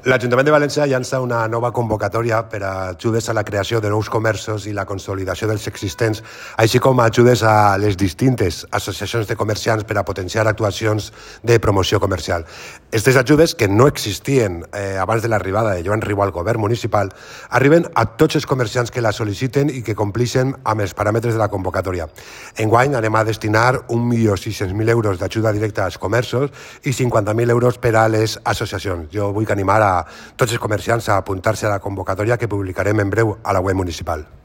L'Ajuntament de València llança una nova convocatòria per a ajudes a la creació de nous comerços i la consolidació dels existents, així com ajudes a les distintes associacions de comerciants per a potenciar actuacions de promoció comercial. Aquestes ajudes, que no existien abans de l'arribada de Joan Riu al govern municipal, arriben a tots els comerciants que la sol·liciten i que complixen amb els paràmetres de la convocatòria. Enguany anem a destinar 1.600.000 euros d'ajuda directa als comerços i 50.000 euros per a les associacions. Jo vull animar a tots els comerciants a apuntar-se a la convocatòria que publicarem en breu a la web municipal.